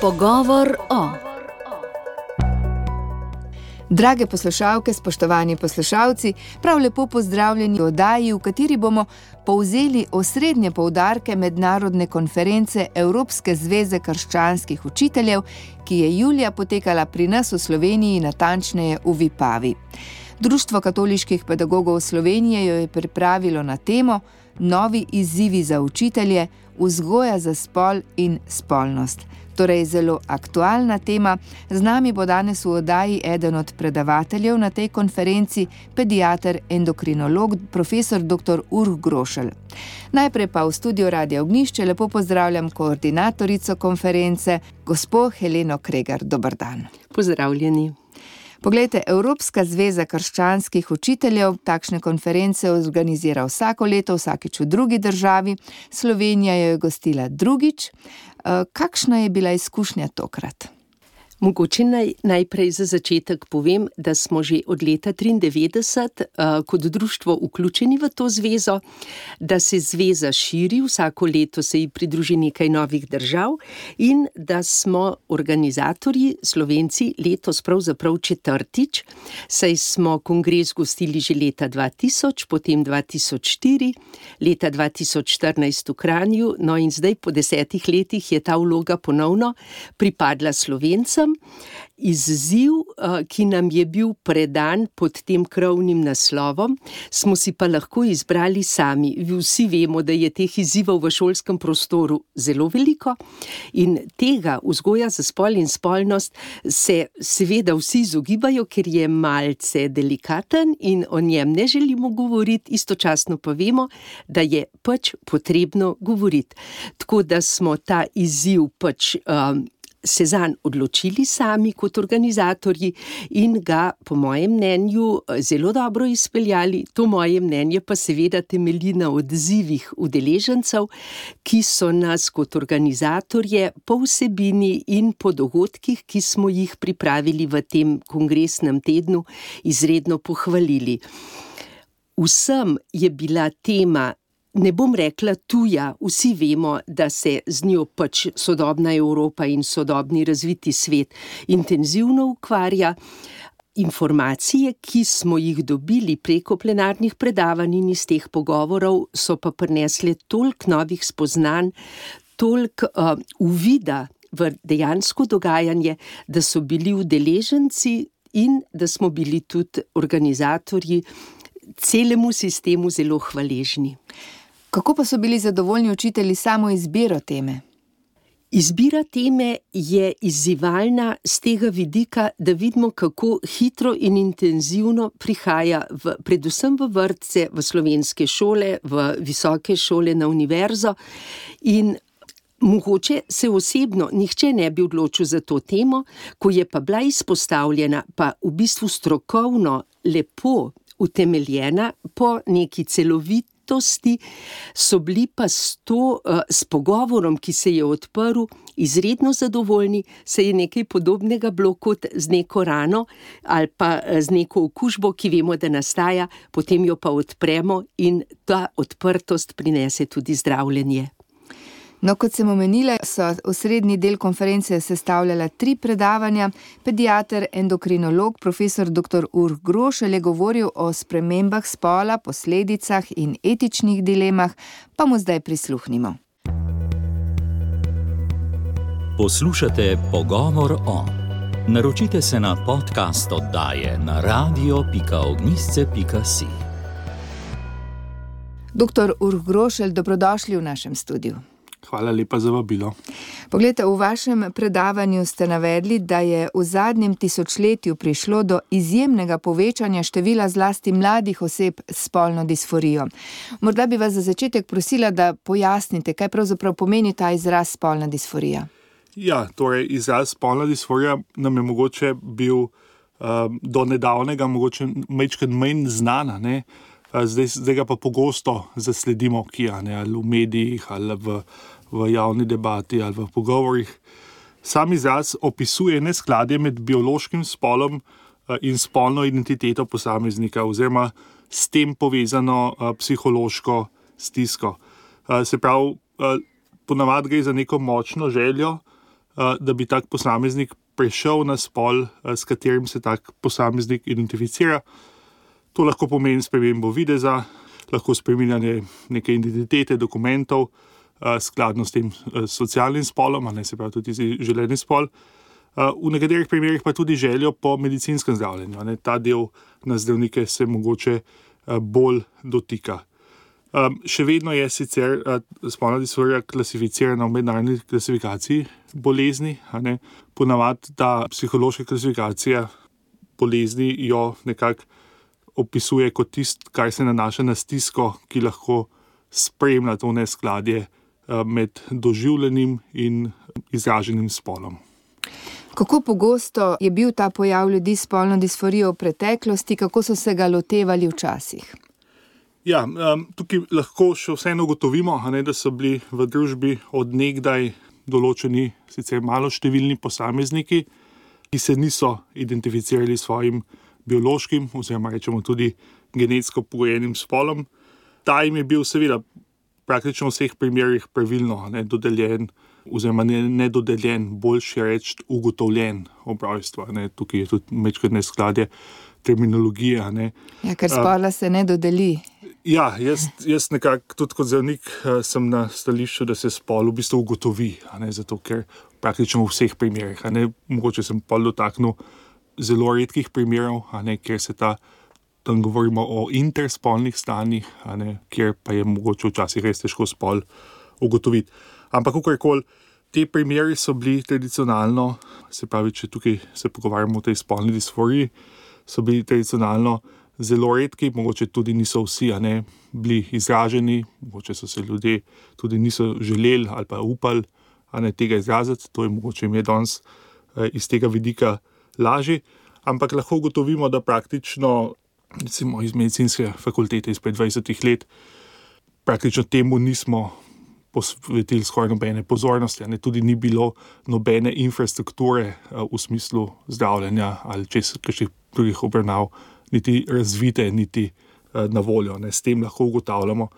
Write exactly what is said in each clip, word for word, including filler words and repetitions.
Pogovor o. Drage poslušalke, spoštovani poslušalci, prav lepo pozdravljeni v oddaji, v kateri bomo povzeli osrednje poudarke mednarodne konference Evropske zveze krščanskih učiteljev, ki je julija potekala pri nas v Sloveniji, natančneje v Vipavi. Društvo katoliških pedagogov Slovenije jo je pripravilo na temo Novi izzivi za učitelje, vzgoja za spol in spolnost. Torej zelo aktualna tema. Z nami bo danes v oddaji eden od predavateljev na tej konferenci, pediater, endokrinolog, profesor doktor Urh Grošelj. Najprej pa v studiu Radia Ognjišče lepo pozdravljam koordinatorico konference, gospo Heleno Kregar. Dober dan. Pozdravljeni. Poglejte, Evropska zveza krščanskih učiteljev takšne konference organizira vsako leto, vsakič v drugi državi. Slovenija jo je gostila drugič. Kakšna je bila izkušnja tokrat? Mogoče naj, najprej za začetek povem, da smo že od leta triindevetdeset uh, kot društvo vključeni v to zvezo, da se zveza širi, vsako leto se ji pridruži nekaj novih držav in da smo organizatorji, Slovenci, letos pravzaprav četrtič, saj smo kongres gostili že leta dva tisoč, potem dva tisoč štiri, leta dva tisoč štirinajst v Kranju, no in zdaj po desetih letih je ta vloga ponovno pripadla Slovencem. Izziv, ki nam je bil predan pod tem krovnim naslovom, smo si pa lahko izbrali sami. Vsi vemo, da je teh izzivov v šolskem prostoru zelo veliko in tega vzgoja za spol in spolnost se seveda vsi izogibajo, ker je malce delikaten in o njem ne želimo govoriti, istočasno pa vemo, da je pač potrebno govoriti. Tako da smo ta izziv pač um, se zanj odločili sami kot organizatorji in ga, po mojem mnenju, zelo dobro izpeljali. To moje mnenje pa seveda temelji na odzivih udeležencev, ki so nas kot organizatorje po vsebini in po dogodkih, ki smo jih pripravili v tem kongresnem tednu, izredno pohvalili. Vsem je bila tema, ne bom rekla tuja, vsi vemo, da se z njo pač sodobna Evropa in sodobni razviti svet intenzivno ukvarja. Informacije, ki smo jih dobili preko plenarnih predavanj in iz teh pogovorov, so pa prinesle toliko novih spoznanj, toliko uh, uvida v dejansko dogajanje, da so bili udeleženci in da smo bili tudi organizatorji celemu sistemu zelo hvaležni. Kako pa so bili zadovoljni učitelji samo izbiro teme? Izbira teme je izzivalna z tega vidika, da vidimo, kako hitro in intenzivno prihaja v, predvsem v vrtce, v slovenske šole, v visoke šole, na univerzo in mogoče se osebno nihče ne bi odločil za to temo, ko je pa bila izpostavljena, pa v bistvu strokovno lepo utemeljena po neki celoviti, so bili pa s, to, s pogovorom, ki se je odprl, izredno zadovoljni. Se je nekaj podobnega bilo kot z neko rano ali pa z neko okužbo, ki vemo, da nastaja, potem jo pa odpremo in ta odprtost prinese tudi zdravljenje. No, kot sem omenila, so osrednji del konference sestavljala tri predavanja. Pediater, endokrinolog, profesor doktor Urh Grošelj je govoril o spremembah spola, posledicah in etičnih dilemah, pa mu zdaj prisluhnimo. Poslušate Pogovor o. Naročite se na podcast oddaje na radio pika ognjišče pika si. Doktor Urh Grošelj, dobrodošli v našem studiu. Hvala lepa za vabilo. Poglejte, v vašem predavanju ste navedli, da je v zadnjem tisočletju prišlo do izjemnega povečanja števila zlasti mladih oseb s spolno disforijo. Morda bi vas za začetek prosila, da pojasnite, kaj pravzaprav pomeni ta izraz spolna disforija. Ja, torej izraz spolna disforija nam je mogoče bil um, do nedavnega mogoče majčkeno manj znana, ne? Zdaj, zdaj ga pa pogosto zasledimo, ki je ali v medijih, ali v, v javni debati, ali v pogovorih. Sam izraz opisuje neskladje med biološkim spolom in spolno identiteto posameznika, oziroma s tem povezano uh, psihološko stisko. Uh, se pravi, uh, ponavadi gre za neko močno željo da bi tak posameznik prešel na spol, s katerim se tak posameznik identificira. To lahko pomeni spremembo videza, lahko spreminjanje neke identitete, dokumentov, skladno s tem socialnim spolom, a ne se pravi tudi želeni spol. V nekaterih primerih pa tudi željo po medicinskem zdravljenju. Ne. Ta del na zdravnike se mogoče bolj dotika. Um, še vedno je sicer uh, spolna disforija klasificirana v mednarodni klasifikaciji bolezni. Ponavadi ta psihološka klasifikacija bolezni jo nekako opisuje kot tisto, kar se nanaša na stisko, ki lahko spremlja to neskladje uh, med doživljenim in izraženim spolom. Kako pogosto je bil ta pojav ljudi s spolno disforijo v preteklosti, kako so se ga lotevali včasih? Ja, um, tukaj lahko še vseeno ugotovimo, ne, da so bili v družbi od nekdaj določeni sicer malo številni posamezniki, ki se niso identificirali s svojim biološkim oziroma rečemo tudi genetsko pogojenim spolom. Ta jim je bil seveda praktično v vseh primerih pravilno ne, dodeljen oziroma ne, ne dodeljen, boljše reči ugotovljen ob rojstvu. Tukaj je tudi majčkeno neskladje terminologije. Ne. Ja, ker spola se ne dodeli. Ja, jaz, jaz nekako tudi kot zdravnik sem na stališču, da se spol v bistvu ugotovi, a ne, zato ker praktično v vseh primerih, a ne, mogoče sem pol dotaknil zelo redkih primerov, a ne, kjer se ta, tam govorimo o interspolnih stanjih, a ne, kjer pa je mogoče včasih res težko spol ugotoviti. Ampak kakorkoli, te primeri so bili tradicionalno, se pravi, če tukaj se pogovarjamo o tej spolni disforiji, so bili tradicionalno zelo redki, mogoče tudi niso vsi a ne, bili izraženi, mogoče so se ljudje tudi niso želeli ali pa upali a ne, tega izraziti, to je mogoče ime danes eh, iz tega vidika lažje, ampak lahko ugotovimo, da praktično recimo iz medicinske fakultete izpred dvajsetih let praktično temu nismo posvetili skoraj nobene pozornosti, a ne, tudi ni bilo nobene infrastrukture eh, v smislu zdravljenja ali čez kakšnih drugih obravnav niti razvite, niti uh, na voljo. Ne. S tem lahko ugotavljamo,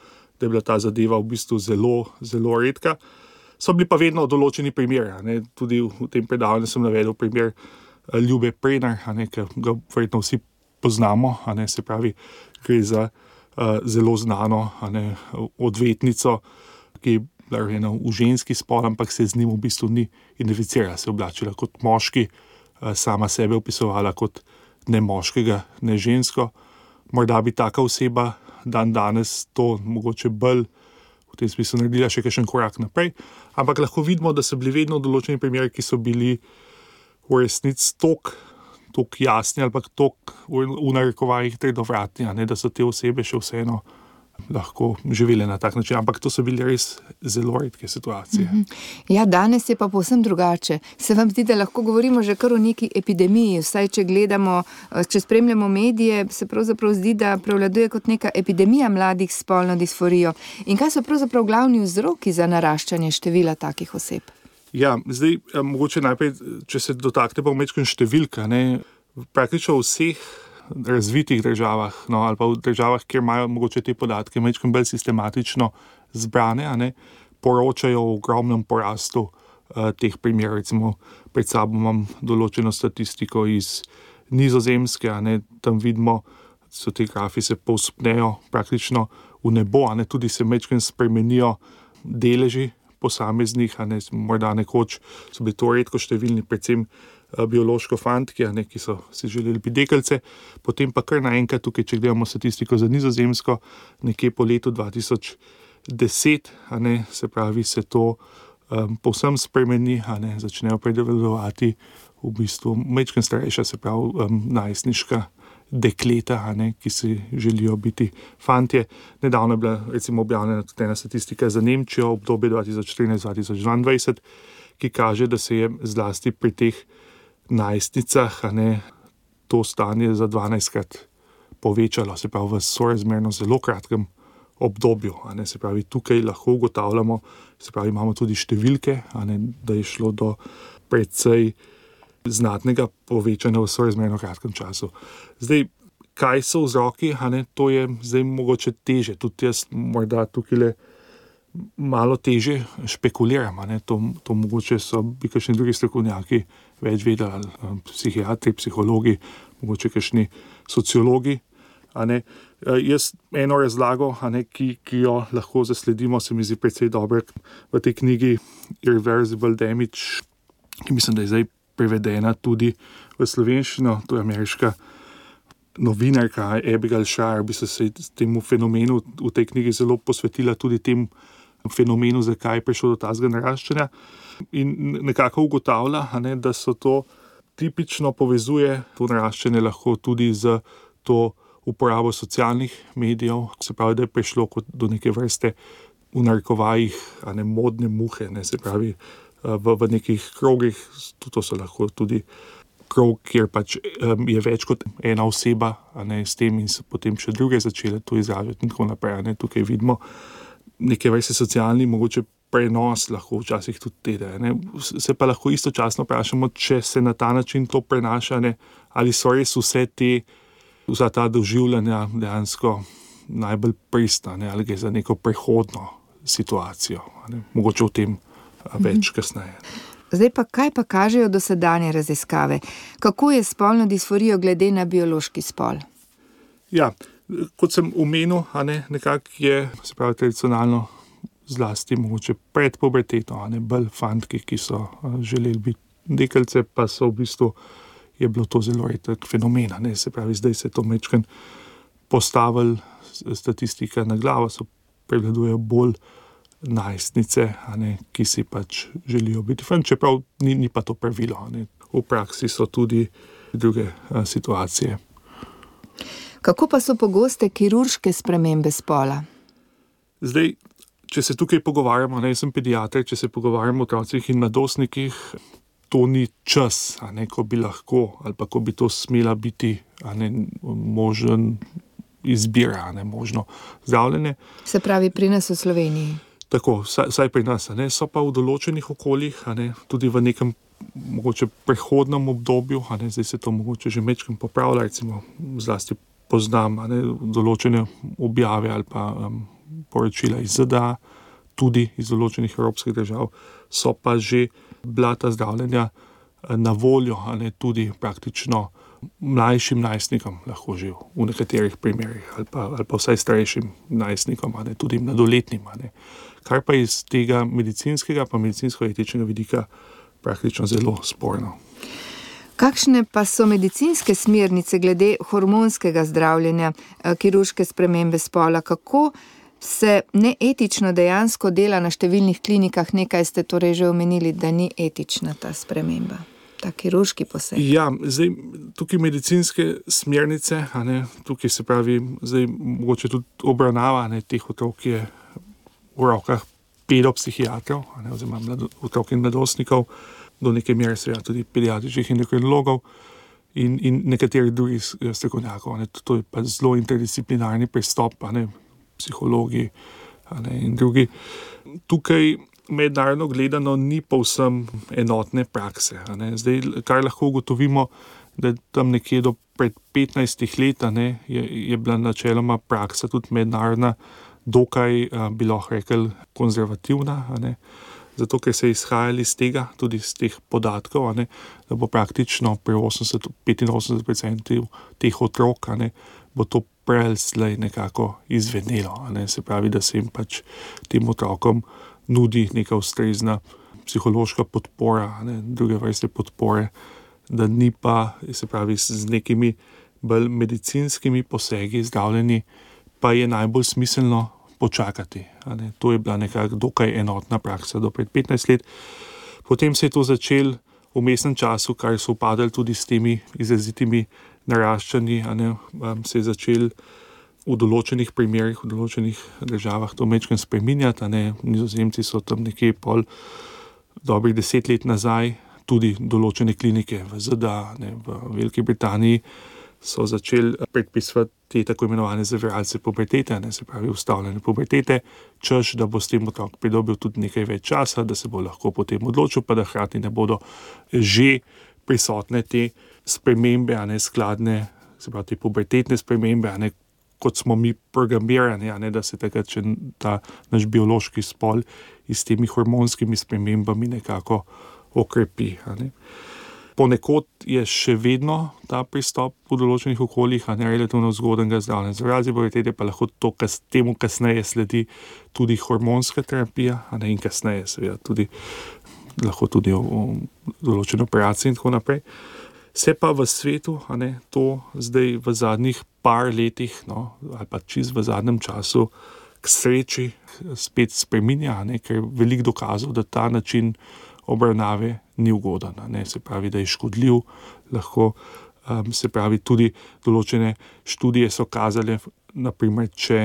da je bila ta zadeva v bistvu zelo, zelo redka. So bili pa vedno določeni primeri. Ne. Tudi v, v tem predavanju sem navedel primer uh, Ljube Prenar, a ne, ki ga verjetno vsi poznamo, a ne, se pravi, gre za uh, zelo znano a ne, odvetnico, ki je bila rojena v ženski spol, ampak se z njim v bistvu ni identificirala, se oblačila kot moški, uh, sama sebe opisovala kot ne moškega, ne žensko. Morda bi taka oseba dan danes to mogoče bolj v tem smislu naredila še kakšen korak naprej, ampak lahko vidimo, da so bili vedno določeni primeri, ki so bili v resnici tok, tok jasni ali pa tok v, v narekovajih trdovratni, a ne, da so te osebe še vseeno lahko živele na tak način, ampak to so bile res zelo redke situacije. Ja, danes je pa povsem drugače. Se vam zdi, da lahko govorimo že kar o neki epidemiji, vsaj če gledamo, če spremljamo medije, se pravzaprav zdi, da prevladuje kot neka epidemija mladih s spolno disforijo. In kaj so pravzaprav glavni vzroki za naraščanje števila takih oseb? Ja, zdaj, mogoče najprej, če se dotakne pa vmečkaj številka, ne, praktično vseh razvitih državah, no, ali pa v državah, kjer imajo mogoče te podatke majčkeno bolj sistematično zbrane, a ne, poročajo o ogromnem porastu uh, teh primerov. Recimo pred sabo imam določeno statistiko iz Nizozemske, a ne, tam vidimo, so te grafi se povzpnejo praktično v nebo, a ne, tudi se majčkeno spremenijo deleži posameznih, a ne, morda nekoč so bili to redko številni, predvsem biološko fantki, a ne, ki so si želeli biti deklice, potem pa kar naenkrat tukaj, če gledamo statistiko za Nizozemsko, nekje po letu dva tisoč deset, a ne, se pravi, se to um, povsem spremeni, a ne, začnejo predelovati v bistvu majčkeno starejša, se pravi, um, najstniška dekleta, a ne, ki si želijo biti fantje. Nedavno je bila recimo objavljena tudi ena statistika za Nemčijo, obdobje dva tisoč trinajst do dva tisoč dvaindvajset, ki kaže, da se je zlasti pri teh najstnicah, a ne, to stanje za dvanajstkrat povečalo, se pravi v sorazmerno zelo kratkem obdobju, a ne, se pravi tukaj lahko ugotavljamo, se pravi imamo tudi številke, a ne, da je šlo do precej znatnega povečanja v sorazmerno kratkem času. Zdaj, kaj so vzroki, a ne, to je zdaj mogoče teže, tudi jaz morda tukaj malo teže špekuliramo. Ne? To, to mogoče so bi kakšni drugi strokovnjaki več vedeli, psihiatri, psihologi, mogoče kakšni sociologi. A ne? Jaz eno razlago, a ne, ki, ki jo lahko zasledimo, se mi zdi precej dobro v tej knjigi Irreversible Damage, ki mislim, da je zdaj prevedena tudi v slovenščino. To je ameriška novinarka Abigail Shrier, bi se temu fenomenu v tej knjigi zelo posvetila, tudi tem fenomenu, zakaj je prišlo do tazga naraščanja. In nekako ugotavlja, a ne, da so to tipično povezuje to naraščanje lahko tudi z to uporabo socialnih medijev, se pravi, da je prišlo kot do neke vrste v narekovajih, a ne, modne muhe, ne, se pravi, v, v nekih krogih, to so lahko tudi krog, kjer pač um, je več kot ena oseba, a ne, s tem in so potem še druge začele to izražati in tako naprej. Ne. Tukaj vidimo neke vrste socialni, mogoče prenos lahko včasih tudi tede. Ne. Se pa lahko istočasno vprašamo, če se na ta način to prenaša, ne, ali so res vse te vsa ta doživljanja dejansko najbolj pristna, ali gre za neko prehodno situacijo. Ne? Mogoče o tem več kasneje. Zdaj pa, kaj pa kažejo dosedanje raziskave? Kako je s spolno disforijo glede na biološki spol? Ja, kot sem omenil, a ne, nekako je, se pravi, tradicionalno zlasti mogoče pred puberteto, a ne, bolj fantki, ki so želeli biti deklice, pa so v bistvu je bilo to zelo redek fenomen. Ne? Se pravi, zdaj se je to mečken postavil statistika na glavo, so prevladujejo bolj najstnice, a ne, ki si pač želijo biti fan, čeprav ni, ni pa to pravilo. Ne? V praksi so tudi druge a, situacije. Kako pa so pogoste kirurške spremembe spola? Zdaj, če se tukaj pogovarjamo, ne, jaz sem pediater, če se pogovarjamo o otrocih in mladostnikih, to ni čas, a ne, ko bi lahko, ali pa ko bi to smela biti, a ne, možen izbira, a ne, možno zdravljenje. Se pravi, pri nas v Sloveniji? Tako, vsaj, vsaj pri nas, a ne, so pa v določenih okoljih, a ne, tudi v nekem mogoče prehodnem obdobju, a ne, zdaj se to mogoče že mečkem popravlja, recimo zlasti poznam, a ne, določene objave ali pa um, poročila iz Z D A, tudi iz določenih evropskih držav, so pa že bila ta zdravljenja na voljo, a ne, tudi praktično mlajšim najstnikom, lahko že v nekaterih primerih, ali pa, ali pa vsaj starejšim najstnikom, a ne, tudi mladoletnim. A ne. Kar pa iz tega medicinskega pa medicinsko-etičnega vidika praktično zelo sporno. Kakšne pa so medicinske smernice glede hormonskega zdravljenja, kirurške spremembe spola? Kako se neetično dejansko dela na številnih klinikah? Nekaj ste torej že omenili, da ni etična ta sprememba, ta kirurški poseg. Ja, zdaj tukaj medicinske smernice, a ne, tukaj se pravi, zdaj mogoče tudi obravnava, ne, teh otrok je v rokah pedopsihiatrov, a ne, oziroma mlado, otrok in mladostnikov, do neke mere seveda tudi pediatričnih endokrinologov in, in nekaterih drugih strokovnjakov. To je pa zelo interdisciplinarni pristop, a ne, psihologi, a ne, in drugi. Tukaj mednarodno gledano ni povsem enotne prakse. A ne. Zdaj, kar lahko ugotovimo, da tam nekje do pred petnajstih let, a ne, je, je bila načeloma praksa tudi mednarodna dokaj, a, bi lahko rekel, konzervativna, a ne. Zato, ker se je izhajali iz tega, tudi iz teh podatkov, a ne, da bo praktično pri osemdeset do petinosemdeset procentov teh otrok, a ne, bo to prej slej nekako izvenelo. A ne, se pravi, da se jim pač tem otrokom nudi neka ustrezna psihološka podpora, a ne, druge vrste podpore, da ni pa, se pravi, z nekimi bolj medicinskimi posegi zdravljeni, pa je najbolj smiselno počakati. A ne. To je bila nekako dokaj enotna praksa do pred petnajst let. Potem se je to začelo v vmesnem času, kar so upadali tudi s temi izrazitimi naraščanji, a ne, se je začel v določenih primerih, v določenih državah to mečkem spreminjati, a ne, Nizozemci so tam nekje pol dobrih deset let nazaj, tudi določene klinike v Z D A, ne, v Veliki Britaniji, so začeli predpisovati te tako imenovane zaviralce pubertete, ne, se pravi ustavljene pubertete, češ, da bo s tem otrok pridobil tudi nekaj več časa, da se bo lahko potem odločil, pa da hkrati ne bodo že prisotne te spremembe, a ne skladne, se pravi te pubertetne spremembe, a ne, kot smo mi programirani, ne, da se takrat, če ta naš biološki spol s temi hormonskimi spremembami nekako okrepi. Ne. Ponekod je še vedno ta pristop v določenih okoljih, a ne relativno zgodnega zdravljenja. Zaradi pubertete pa lahko to, kas, temu kasneje sledi tudi hormonska terapija, a ne, in kasneje seveda tudi lahko tudi o, o določene operacije in tako naprej. Se pa v svetu, a ne, to zdaj v zadnjih par letih, no, ali pa čist v zadnjem času k sreči spet spreminja, a ne, ker je veliko dokazov, da ta način obravnave ni ugoden, a ne, se pravi, da je škodljiv, lahko um, se pravi tudi določene študije so kazale, naprimer, če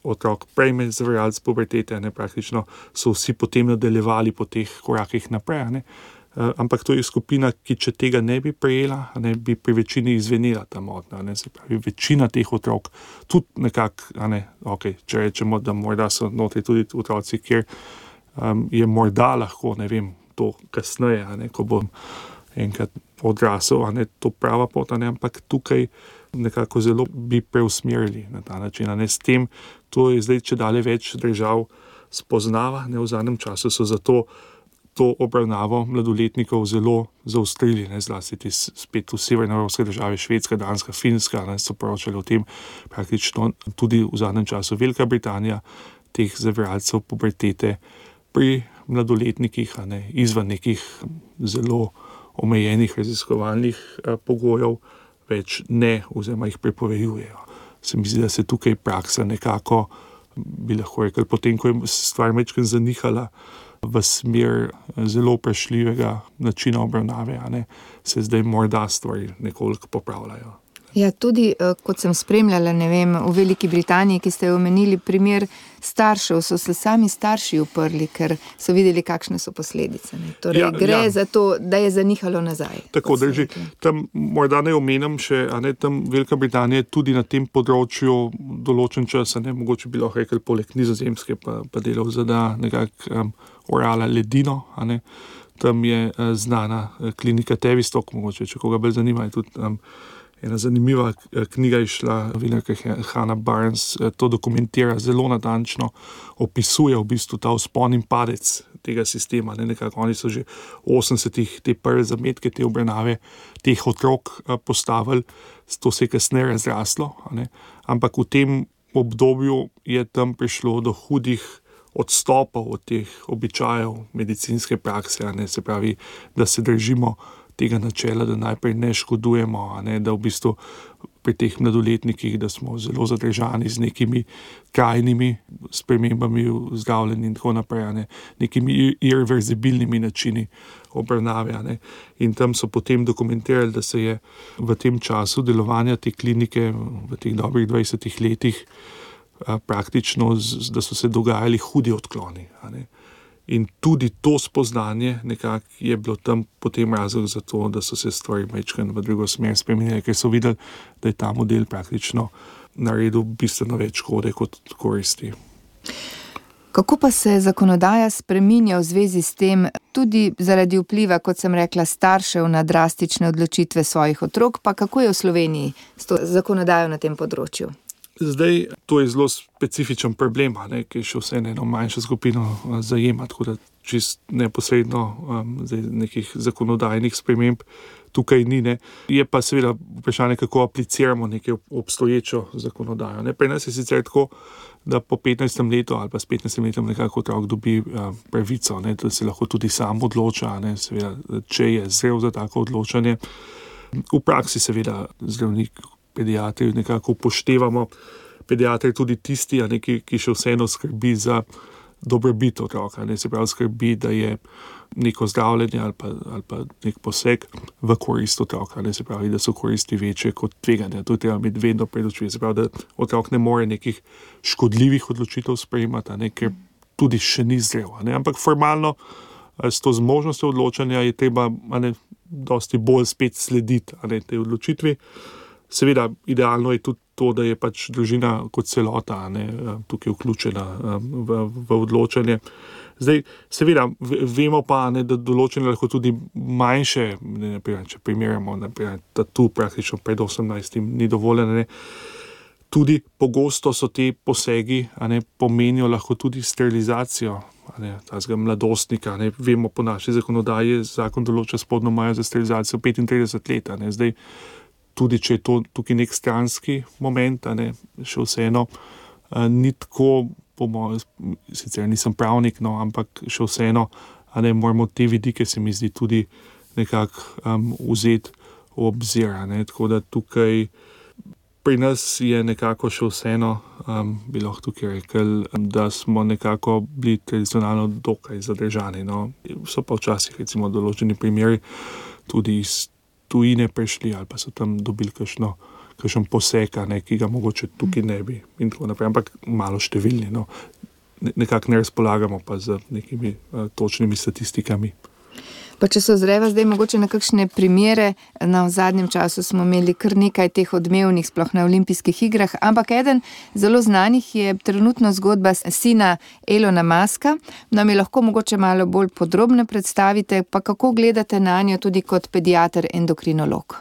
otrok prejme zdravilec pubertete, ne, praktično so vsi potem nadaljevali po teh korakih naprej, a ne. Uh, ampak to je skupina, ki če tega ne bi prejela, ne, bi pri večini izvenela ta motnja. Ne, se pravi, večina teh otrok, tudi nekako, a ne, okay, če rečemo, da morda so notri tudi otroci, kjer um, je morda lahko, ne vem, to kasneje, a ne, ko bom enkrat odrasel, a ne, to prava pot, a ne, ampak tukaj nekako zelo bi preusmerili na ta način, a ne, s tem, to je zdaj, če dalje več držav spoznava, ne, v zadnjem času so zato to obravnavo mladoletnikov zelo zaostrili, ne, zlasti ti spet v severnoevropske države, Švedska, Danska, Finska, ne, so poročali o tem, praktično tudi v zadnjem času Velika Britanija teh zaviralcev pubertete pri mladoletnikih, a ne, izven nekih zelo omejenih raziskovalnih a, pogojev več ne, oziroma jih prepovejujejo. Se mi zdi, da se tukaj praksa nekako, bi lahko rekel, potem, ko je stvar mečken zanihala v smer zelo vprašljivega načina obravnave, a ne, se zdaj morda stvari nekoliko popravljajo. Ja, tudi, kot sem spremljala, ne vem, v Veliki Britaniji, ki ste omenili primer staršev, so se sami starši uprli, ker so videli, kakšne so posledice. Ne. Torej, ja, gre ja. za to, da je zanihalo nazaj. Tako drži. Tam morda ne omenjam še, a ne, tam Velika Britanija tudi na tem področju določen čas, a ne, mogoče bi lahko rekel, poleg Nizozemske pa, pa delal zada nekako um, orala ledino, a ne. Tam je uh, znana uh, klinika Tavistock, mogoče, če koga bolj zanima, je tudi um, ena zanimiva knjiga je šla, vinarka Hannah Barnes to dokumentira zelo natančno, opisuje v bistvu ta vzpon in padec tega sistema. Ne, nekako oni so že v osemdesetih te prve zametke, te obravnave teh otrok postavili, to se je kasneje razraslo, a ne, ampak v tem obdobju je tam prišlo do hudih odstopov od teh običajev medicinske prakse, a ne, se pravi, da se držimo tega načela, da najprej ne škodujemo, a ne, da v bistvu pri teh mladoletnikih, da smo zelo zadržani z nekimi trajnimi spremembami v zdravljenju in tako naprej, a ne, nekimi irreverzibilnimi načini obravnave, a ne. In tam so potem dokumentirali, da se je v tem času delovanja te klinike v teh dobrih dvajsetih letih a, praktično, z, da so se dogajali hudi odkloni, a ne. In tudi to spoznanje nekako je bilo tam potem razlog za to, da so se stvari mečken v drugo smer spremenili, ker so videli, da je ta model praktično naredil bistveno več škode kot koristi. Kako pa se zakonodaja spreminja v zvezi s tem, tudi zaradi vpliva, kot sem rekla, staršev na drastične odločitve svojih otrok, pa kako je v Sloveniji s to zakonodajo na tem področju? Zdaj, to je zelo specifičen problem, ne, ki še vse eno manjšo skupino zajema, tako da čist neposredno um, nekih zakonodajnih sprememb tukaj ni. Ne. Je pa seveda vprašanje, kako apliciramo nekaj obstoječo zakonodajo. Ne. Pri nas je sicer tako, da po petnajstem letu ali pa s petnajstim letom nekako otrok dobi uh, pravico, ne, da se lahko tudi sam odloča, ne, seveda, če je zrel za tako odločanje. V praksi seveda zdravnik, pediatri nekako upoštevamo, pediatri tudi tisti, a ne, ki, ki še vseeno skrbi za dobrobit otroka, ne, se pravi skrbi, da je neko zdravljenje ali pa, ali pa nek poseg v korist otroka, ne, se pravi, da so koristi večje kot tveganja. To je treba imeti vedno pred očmi, se pravi, da otrok ne more nekih škodljivih odločitev sprejemati, a ne, ker tudi še ni zrel, a ne, ampak formalno s to zmožnostjo odločanja je treba, a ne, dosti bolj spet slediti, a ne, tej odločitvi. Seveda, idealno je tudi to, da je pač družina kot celota, ne, tukaj vključena v, v odločanje. Zdaj, seveda, vemo pa, ne, da določene lahko tudi manjše, ne, naprimer, če primerjamo, naprimer, tatu praktično pred osemnajstim ni dovoljeno, ne. Tudi pogosto so te posegi, a ne, pomenijo lahko tudi sterilizacijo, a ne, tazga mladostnika, ne. Vemo po naši zakonodaji, zakon določa spodnjo mejo za sterilizacijo petintrideset let, a ne. Zdaj, tudi če je to tukaj nek stranski moment, a ne, še vseeno, a, ni tako, po mojem, sicer nisem pravnik, no, ampak še vseeno, a ne, moramo te vidike, se mi zdi, tudi nekako um, vzeti v obzir, a ne. Tako da tukaj pri nas je nekako še vseeno, um, bi lahko tukaj rekel, da smo nekako bili tradicionalno dokaj zadržani. No. So pa včasih recimo določeni primeri tudi iz tujine prišli ali pa so tam dobili kakšno, kakšen poseg, ne, ki ga mogoče tukaj ne bi in tako naprej, ampak malo številni. No. Nekako ne razpolagamo pa z nekimi uh, točnimi statistikami. Pa če se ozreva zdaj mogoče na kakšne primere, na v zadnjem času smo imeli kar nekaj teh odmevnih, sploh na olimpijskih igrah, ampak eden zelo znanih je trenutno zgodba sina Elona Muska. Nam je lahko mogoče malo bolj podrobno predstavite, pa kako gledate na njo tudi kot pediater endokrinolog?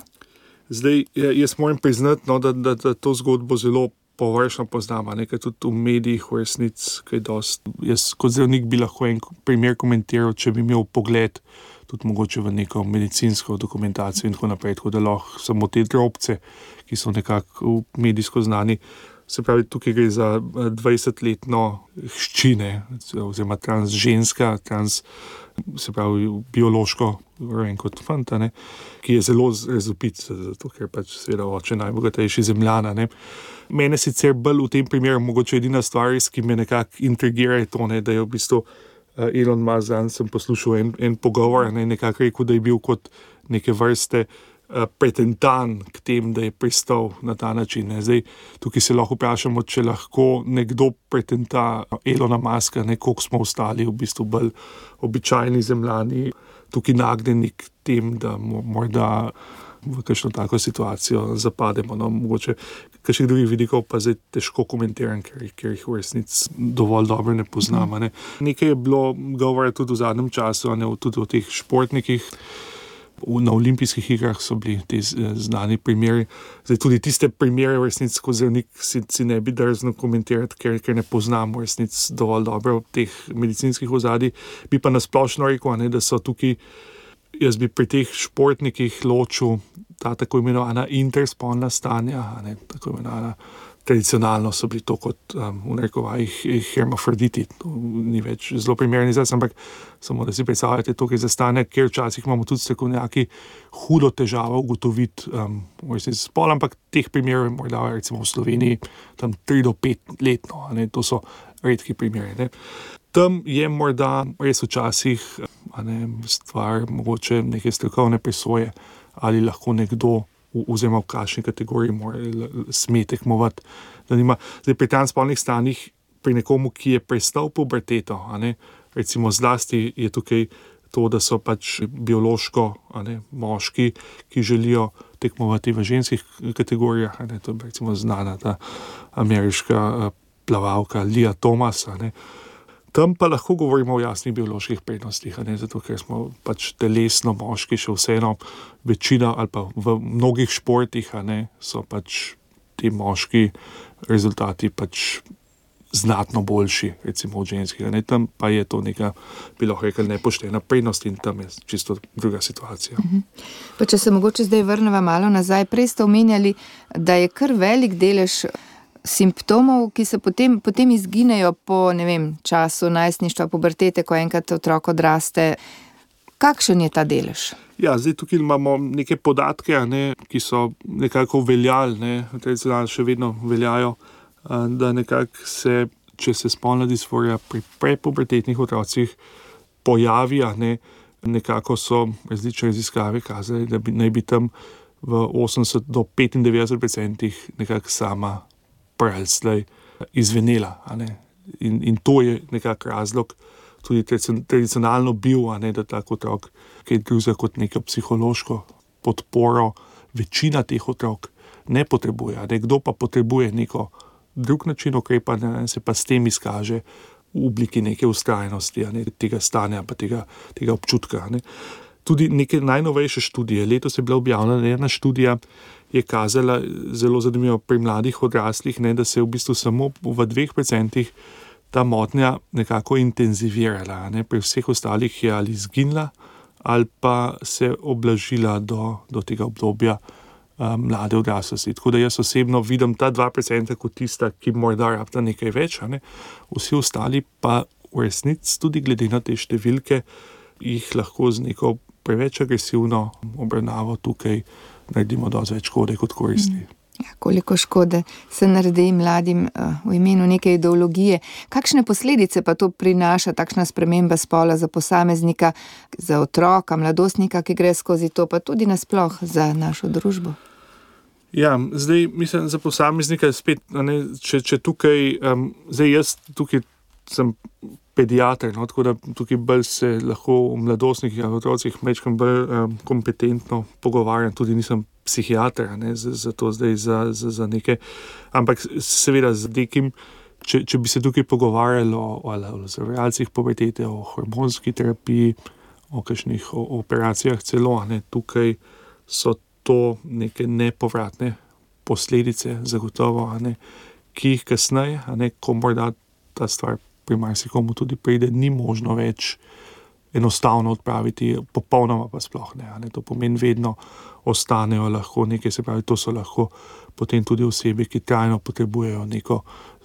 Zdaj, jaz moram priznati, no, da, da, da to zgodbo zelo površno poznam, nekaj tudi v medijih v resnic, kaj dost. Jaz kot zdravnik bi lahko en primer komentiral, če bi imel pogled tudi mogoče v neko medicinsko dokumentacijo in tako naprej, tako da lahko samo te drobce, ki so nekako medijsko znani. Se pravi, tukaj gre za dvajsetletno hčine, oziroma transženska, trans, se pravi, biološko rojen kot fanta, ne, ki je zelo razvpit, zato ker pač seveda oče najbogatejši Zemljana. Ne. Mene sicer bolj v tem primeru mogoče edina stvar, ki me nekako intrigira, je to, ne, da je v bistvu Elon Musk, dan sem poslušal en, en pogovor, ne, nekako rekel, da je bil kot neke vrste uh, pretentan k tem, da je pristal na ta način. Ne. Zdaj, tukaj se lahko vprašamo, če lahko nekdo pretenta Elona Muska, ne, koliko smo ostali v bistvu bolj običajni Zemljani, tukaj nagnjeni k tem, da morda v kakšno tako situacijo zapademo. No, mogoče kakšnih drugih vidikov pa zdaj težko komentiram, ker, ker jih v resnici dovolj dobro ne poznam. Ne. Nekaj je bilo govora tudi v zadnjem času, ne, tudi o teh športnikih. Na olimpijskih igrah so bili ti znani primeri. Zdaj tudi tiste primere v resnici, ko zdravnik si, si ne bi drzno komentirati, ker, ker ne poznam v resnici dovolj dobro teh medicinskih ozadij. Bi pa nasplošno rekel, ne, da so tukaj, jaz bi pri teh športnikih ločil ta tako imenovana interspolna stanja, ne, tako imenovana, tradicionalno so bili to kot um, v narekovajih hermafroditi, to ni več zelo primeren izraz, ampak samo da si predstavljate to, kaj za stanje, ker včasih imamo tudi strokovnjaki hudo težavo ugotoviti um, spol, ampak teh primerov je morda recimo v Sloveniji tam tri do pet letno, ne, to so redki primeri. Ne. Tam je morda res včasih a ne, stvar mogoče neke strokovne presoje, ali lahko nekdo oziroma v kakšni kategoriji mora, sme tekmovati. Zdaj, pri transspolnih stanjih, pri nekomu, ki je prestal puberteto, a ne, recimo zlasti je tukaj to, da so pač biološko, a ne, moški, ki želijo tekmovati v ženskih kategorijah, a ne, to je recimo znana ta ameriška plavalka Lia Thomas, a ne. Tam pa lahko govorimo o jasnih bioloških prednostih, a ne, zato ker smo pač telesno moški še vseeno večina ali pa v mnogih športih, a ne, so pač ti moški rezultati pač znatno boljši, recimo od ženskih, a ne, tam pa je to neka, bi lahko rekel, nepoštena prednost in tam je čisto druga situacija. Mhm. Pa če se mogoče zdaj vrneva malo nazaj, prej ste omenjali, da je kar velik delež simptomov, ki se potem, potem izginejo po, ne vem, času najstništva, pubertete, ko enkrat otrok odraste. Kakšen je ta delež? Ja, zdaj tukaj imamo neke podatke, a ne, ki so nekako veljali, ne, tradicionalno še vedno veljajo, da nekako se, če se spolna disforija pri prepubertetnih otrocih pojavi, a ne, nekako so različne raziskave kazali, da bi, naj bi tam v osemdeset do petindevetdeset procentih nekako sama prelslej izvenela, a ne. In, in to je nekak razlog tudi tradicionalno bil, a ne, da tak otrok, ki je drugega kot neko psihološko podporo, večina teh otrok ne potrebuje, a ne. Kdo pa potrebuje neko drug način ukrepanja, se pa s tem izkaže v obliki neke vztrajnosti, a ne, tega stanja, pa tega, tega občutka, a ne. Tudi neke najnovejše študije, letos je bila objavljena ena študija, je kazala zelo zanimivo pri mladih odraslih, ne, da se je v bistvu samo v dveh procentih ta motnja nekako intenzivirala. Ne. Pri vseh ostalih je ali izginila ali pa se oblažila do, do tega obdobja um, mlade odraslosti. Tako da jaz osebno vidim ta dva procenta kot tista, ki morda rabta nekaj več, ne. Vsi ostali pa v resnici tudi glede na te številke jih lahko z neko preveč agresivno obravnavo tukaj naredimo dosti več škode kot koristi. Ja, koliko škode se naredi mladim uh, v imenu neke ideologije. Kakšne posledice pa to prinaša, takšna sprememba spola za posameznika, za otroka, mladostnika, ki gre skozi to, pa tudi nasploh za našo družbo? Ja, zdaj mislim za posameznika spet, ne, če, če tukaj, um, zdaj jaz tukaj sem pediater, no, tako da tukaj bolj se lahko v mladostnikih in otrocih mečkam bolj um, kompetentno pogovarjam, tudi nisem psihiater, ne, za, za to zdaj za, za, za nekaj, ampak seveda z nekim, če, če bi se tukaj pogovarjali o, o, o zavarjalcih pubertete, o hormonski terapiji, o kakšnih o, o operacijah celo, ne, tukaj so to neke nepovratne posledice zagotovo, ne, ki jih kasneje, ne, ko morda ta stvar pri marsikomu tudi pride, ni možno več enostavno odpraviti, popolnoma pa sploh ne, ne. To pomeni vedno ostanejo lahko nekaj, se pravi, to so lahko potem tudi osebe, ki trajno potrebujejo neko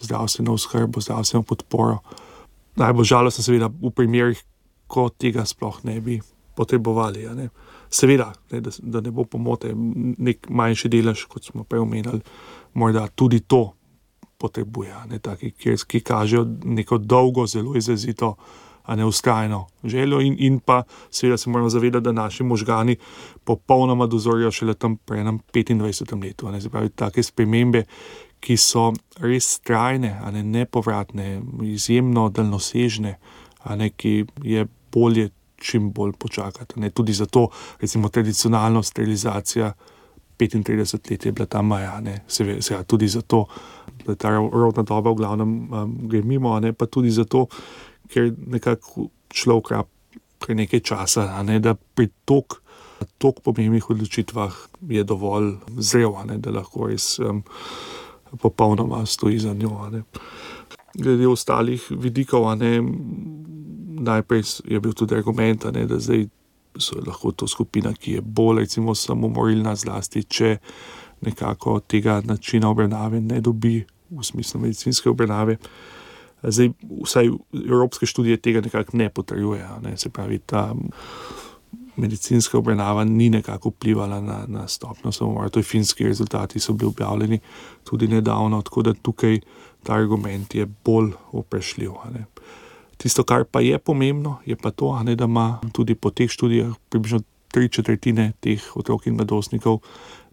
zdravstveno oskrbo, zdravstveno podporo. Najbolj žalostno seveda v primerih, ko tega sploh ne bi potrebovali. Ne. Seveda, ne, da, da ne bo pomote, nek manjši delež, kot smo prej omenili, morda tudi to potrebuje, ne, taki, ki, ki kažejo neko dolgo, zelo izrazito, a ne vztrajno željo in, in pa seveda se moramo zavedati, da naši možgani popolnoma dozorijo šele tam pri enem petindvajsetem letu. Ne, se pravi, take spremembe, ki so res trajne, a ne nepovratne, izjemno daljnosežne, a ne, ki je bolje čim bolj počakati. Ne. Tudi zato, recimo, tradicionalno sterilizacija petintrideset let je bila ta meja, ne. Seveda, seveda tudi zato, da ta rodna doba v glavnem um, gre mimo, a ne, pa tudi zato, ker nekako človek rab pri nekaj časa, a ne, da pri tok, tok pomembnih odločitvah je dovolj zrel, a ne, da lahko res um, popolnoma stoji za njo. A ne. Glede ostalih vidikov, a ne, najprej je bil tudi argument, a ne, da zdaj so lahko to skupina, ki je bolj recimo samomorilna, zlasti, če nekako tega načina obravnave ne dobi v smislu medicinske obravnave. Zdaj, vsaj evropske študije tega nekako ne potrjujejo, ne, se pravi, ta medicinska obravnava ni nekako vplivala na, na stopnjo samomora. To je finski rezultati, so bili objavljeni tudi nedavno, tako da tukaj ta argument je bolj vprašljiv. Ne. Tisto, kar pa je pomembno, je pa to, ne, da ima tudi po teh študijah približno tri četrtine teh otrok in mladostnikov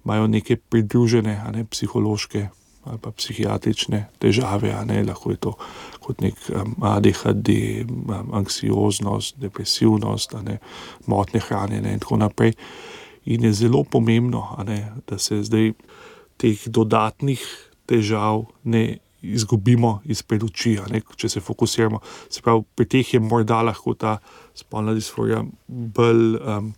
imajo neke pridružene, a ne, psihološke ali pa psihiatrične težave, a ne, lahko je to kot nek um, A D H D, um, anksioznost, depresivnost, a ne, motnje hranjenja in tako naprej. In je zelo pomembno, a ne, da se zdaj teh dodatnih težav ne izgubimo izpred oči, a ne, če se fokusiramo. Se pravi, pri teh je morda lahko ta spolna disforija bolj um,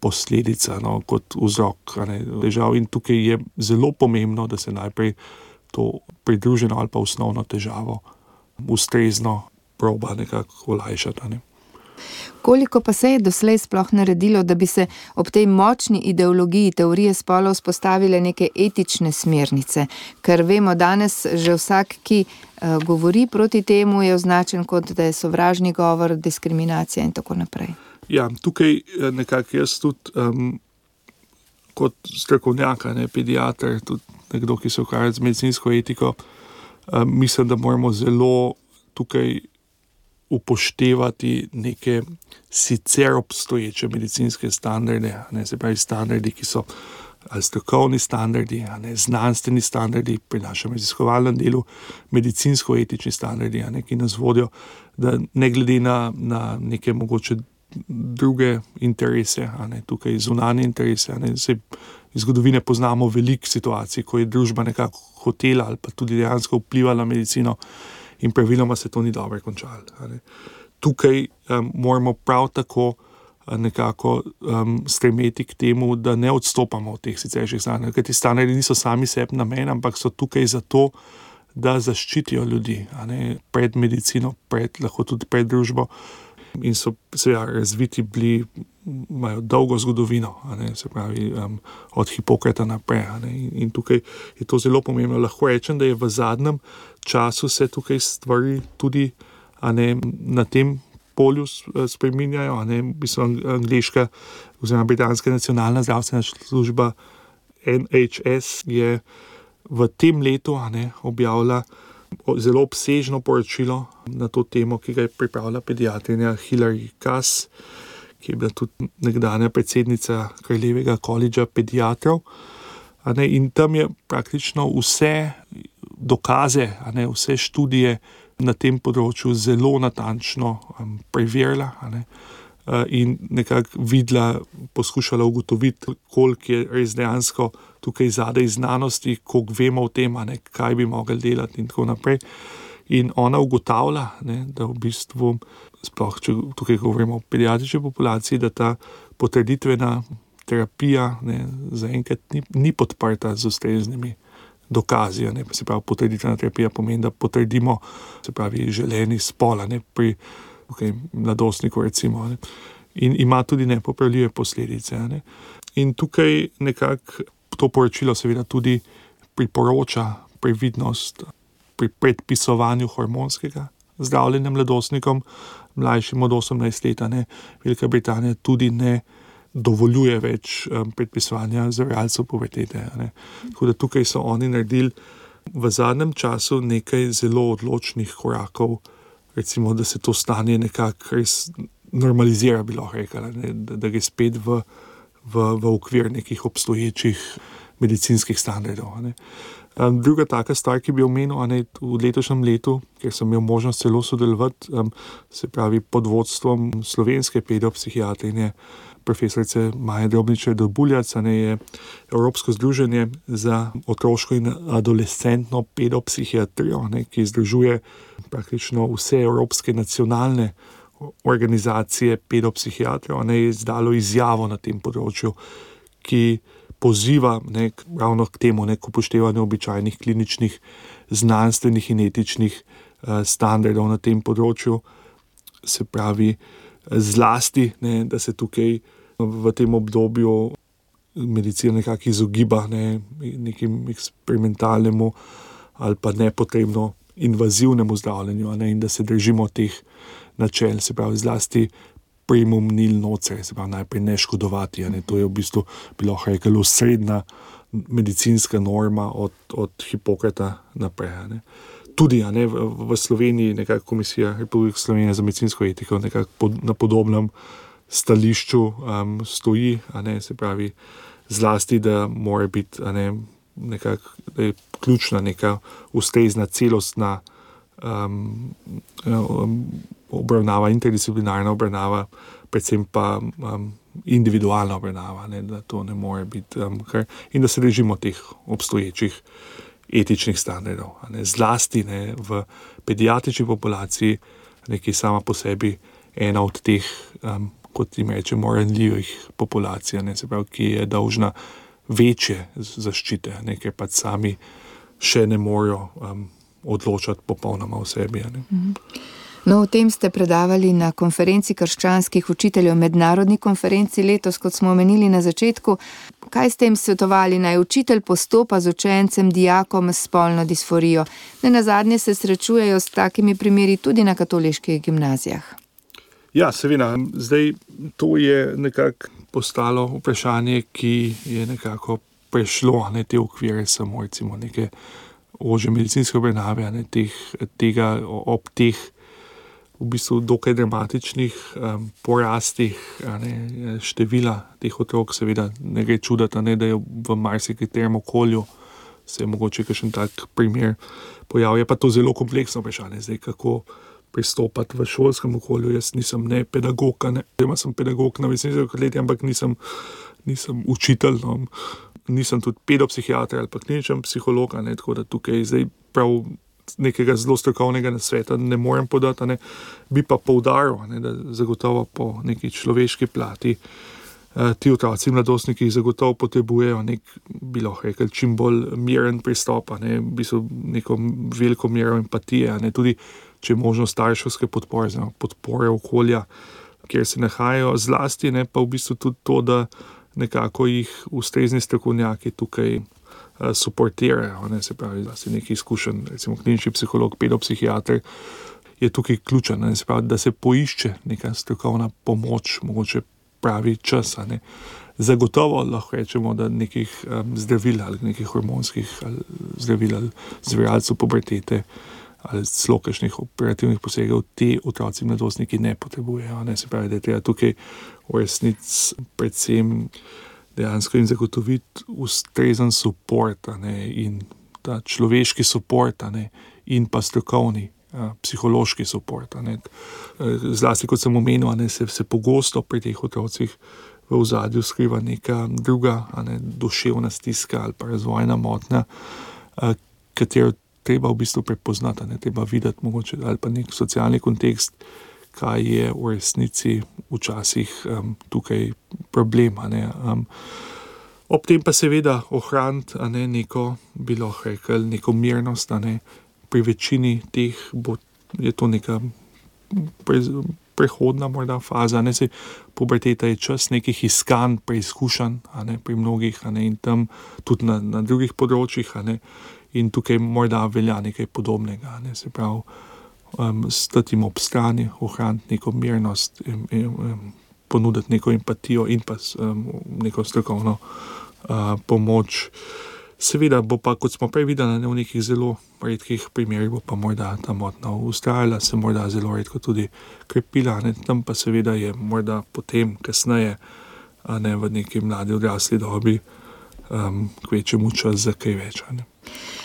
posledica, no, kot vzrok, a ne, težav. In tukaj je zelo pomembno, da se najprej to pridruženo ali pa osnovno težavo ustrezno proba nekako olajšati. Ne. Koliko pa se je doslej sploh naredilo, da bi se ob tej močni ideologiji teorije spolov vzpostavile neke etične smernice? Ker vemo, danes že vsak, ki uh, govori proti temu, je označen kot, da je sovražni govor, diskriminacija in tako naprej. Ja, tukaj nekako jaz tudi um, kot strokovnjak, ne, pediater, tudi nekdo, ki se ukvarja z medicinsko etiko, um, mislim, da moramo zelo tukaj upoštevati neke sicer obstoječe medicinske standarde, ne, se pravi standardi, ki so ali strokovni standardi, ne, znanstveni standardi pri našem raziskovalnem delu, medicinsko-etični standardi, ne, ki nas vodijo, da ne glede na, na neke mogoče druge interese, a ne, tukaj zunanje interese, a ne, se iz zgodovine poznamo veliko situacij, ko je družba nekako hotela ali pa tudi dejansko vplivala na medicino in praviloma se to ni dobro končalo. Tukaj um, moramo prav tako nekako um, stremeti k temu, da ne odstopamo od teh siceršnjih standardov, ker ti standardi niso sami sebi namen, ampak so tukaj zato, da zaščitijo ljudi, a ne, pred medicino, pred, lahko tudi pred družbo, in so seveda razviti bili, imajo dolgo zgodovino, a ne, se pravi um, od Hipokrata naprej, a ne, in, in tukaj je to zelo pomembno. Lahko rečem, da je v zadnjem času se tukaj stvari tudi, a ne, na tem polju spreminjajo, a ne, v bistvu angleška oziroma britanska nacionalna zdravstvena služba N H S je v tem letu, a ne, objavila zelo obsežno poročilo na to temo, ki ga je pripravila pediatrinja Hilary Cass, ki je bila tudi nekdanja predsednica Kraljevega koledža pediatrov. A ne, in tam je praktično vse dokaze, a ne, vse študije na tem področju zelo natančno um, preverila, a ne, uh, in nekako videla, poskušala ugotoviti, koliko je res dejansko tukaj zadaj znanosti, koliko vemo o tem, a ne, kaj bi mogli delati in tako naprej. In ona ugotavlja, ne, da v bistvu, sploh če tukaj govorimo o pediatrični populaciji, da ta potrditvena terapija, ne, zaenkrat ni, ni podprta z ustreznimi dokazi, ne, se pravi, potrditvena terapija pomeni, da potrdimo, se pravi, želeni spol, ne, pri okay, mladostniku recimo, ne, in ima tudi nepopravljive posledice, ne. In tukaj nekako to poročilo seveda tudi priporoča previdnost pri predpisovanju hormonskega zdravljenja mladostnikom, mlajšim od osemnajst let, ne. Velika Britanija tudi ne dovoljuje več um, predpisovanja zavarovalcev pubertete. Tako da tukaj so oni naredili v zadnjem času nekaj zelo odločnih korakov, recimo, da se to stanje nekako res normalizira, bi lahko rekla, ne, da, da gre spet v, v, v okvir nekih obstoječih medicinskih standardov. Ne. Um, druga taka stvar, ki bi omenil, a ne, v letošnjem letu, ker sem imel možnost celo sodelovati, um, se pravi pod vodstvom slovenske pedopsihiatrinje, profesorice Maje Drobničar-Dobuljac, je Evropsko združenje za otroško in adolescentno pedopsihiatrijo, ne, ki združuje praktično vse evropske nacionalne organizacije pedopsihiatrijo, ne, je izdalo izjavo na tem področju, ki poziva ne, ravno k temu, ne, k upoštevanju običajnih kliničnih, znanstvenih in etičnih uh, standardov na tem področju, se pravi, zlasti, ne, da se tukaj v tem obdobju medicina nekako izogiba ne, nekim eksperimentalnemu ali pa nepotrebno invazivnemu zdravljenju, ne, in da se držimo teh načel, se pravi zlasti primum nil nocere, se pravi najprej ne škodovati, ne, to je v bistvu bilo reklo srednja medicinska norma od, od Hipokrata naprej. Ne. Tudi a ne, v, v Sloveniji nekako Komisija Republike Slovenije za medicinsko etiko nekako pod, na podobnem stališču um, stoji, a ne, se pravi zlasti, da mora biti a ne, nekako, da je ključna neka ustrezna celostna um, um, obravnava, interdisciplinarna obravnava, predvsem pa um, individualna obravnava, ne, da to ne more biti um, kar, in da se držimo teh obstoječih etičnih standardov. Ne, zlasti ne, v pediatrični populaciji, ne, ki je sama po sebi ena od teh, um, kot jim rečemo, ranljivih populacij, ne, se pravi, ki je dolžna večje zaščite, ne, ker pa sami še ne morejo um, odločati popolnoma o sebi. Ne. Mhm. No, o tem ste predavali na konferenci krščanskih učiteljev, mednarodni konferenci letos, kot smo omenili na začetku. Kaj ste jim svetovali, naj učitelj postopa z učencem, dijakom s spolno disforijo? Nenazadnje se srečujejo s takimi primeri tudi na katoliških gimnazijah. Ja, seveda. Zdaj, to je nekako postalo vprašanje, ki je nekako prešlo, ne, te okvire samo recimo neke ožje medicinske obravnave, ne, teh, tega ob teh v bistvu dokaj dramatičnih um, porastih ne, števila teh otrok, seveda ne gre čudati, ne, da je v marsikaterem okolju se je mogoče kakšen tak primer pojavil. Je pa to zelo kompleksno vprašanje, zdaj kako pristopati v šolskem okolju. Jaz nisem ne pedagog, ne, sem pedagog na medicinski fakulteti, ampak nisem, nisem učitelj, no, nisem tudi pedopsihiater ali pa kliničen psiholog, ne, tako da tukaj zdaj prav nekega zelo strokovnega nasveta ne morem podati, ne. Bi pa poudaril, ne, da zagotovo po neki človeški plati uh, ti otroci in mladostniki zagotovo potrebujejo nek, bi lahko rekel, čim bolj miren pristop, ne, v bistvu neko veliko mero empatije, ne, tudi če je možno starševske podpore, znamo, podpore okolja, kjer se nahajajo, zlasti, ne, pa v bistvu tudi to, da nekako jih ustrezni strokovnjaki tukaj uh, suportirajo, ne, se pravi, da si neki izkušen, recimo klinični psiholog, pedopsihiater, je tukaj ključen, ne, se pravi, da se poišče neka strokovna pomoč, mogoče pravi čas, ne. Zagotovo lahko rečemo, da nekih um, zdravil ali nekih hormonskih ali zdravil ali zviralcev pubertete ali celo kakšnih operativnih posegov ti otroci in mladostniki ne potrebujejo, ne, se pravi, da je treba tukaj v resnici predvsem dejansko jim zagotoviti ustrezen suport, ne, in ta človeški suport, ne, in pa strokovni a, psihološki suport, ne. Zlasti, kot sem omenil, ne, se, se pogosto pri teh otrocih v ozadju skriva neka druga, a ne, duševna stiska ali pa razvojna motnja, a, katero treba v bistvu prepoznati, ne, treba videti mogoče ali pa nek socialni kontekst, kaj je v resnici včasih um, tukaj problem, a ne. Um, ob tem pa seveda ohraniti, a ne, neko, bi lahko rekel, neko mirnost, a ne. Pri večini teh bo, je to neka pre, prehodna morda faza, ne, se puberteta je čas nekih iskanj, preizkušanj, a ne, pri mnogih, a ne, in tam tudi na, na drugih področjih, a ne. In tukaj morda velja nekaj podobnega, ne, se pravi, um, stati jim ob strani, ohraniti neko mirnost, in, in, um, ponuditi neko empatijo in pa um, neko strokovno uh, pomoč. Seveda bo pa, kot smo prej videli, ne, v nekih zelo redkih primerih bo pa morda ta motnja ustrajala, se morda zelo redko tudi krepila, ne, tam pa seveda je morda potem, kasneje, a ne, v neki mladi odrasli dobi, um, kvečemu čas za kaj več, ne.